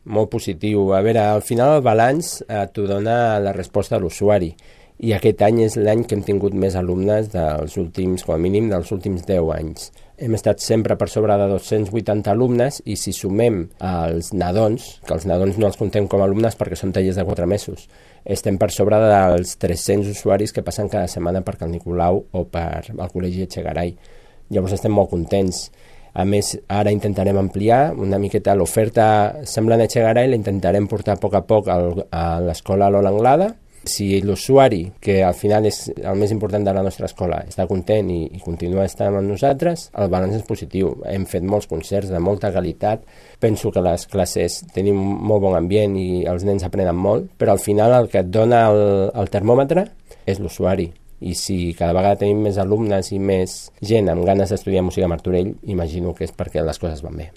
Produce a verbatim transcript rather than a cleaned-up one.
molt positiu. A veure, al final el balanç eh, t'ho dona la resposta de l'usuari. I aquest any és l'any que hem tingut més alumnes dels últims, com a mínim, dels últims deu anys. Hem estat sempre per sobre de dos-cents vuitanta alumnes i si sumem els nadons, que els nadons no els contem com a alumnes perquè són tallers de quatre mesos, estem per sobre dels tres-cents usuaris que passen cada setmana per Cal Nicolau o per al Col·legi Etxegaray. Llavors estem molt contents. A més, ara intentarem ampliar una miqueta l'oferta semblant a Etxegaray, la intentarem portar a poc a poc al, a l'escola Lola Anglada. Si l'usuari, que al final és el més important de la nostra escola, està content i, i continua estant amb nosaltres, el balanç és positiu. Hem fet molts concerts de molta qualitat. Penso que les classes tenim molt bon ambient i els nens aprenen molt, però al final el que et dona el, el termòmetre és l'usuari. I si cada vegada tenim més alumnes i més gent amb ganes d'estudiar música a Martorell, imagino que és perquè les coses van bé.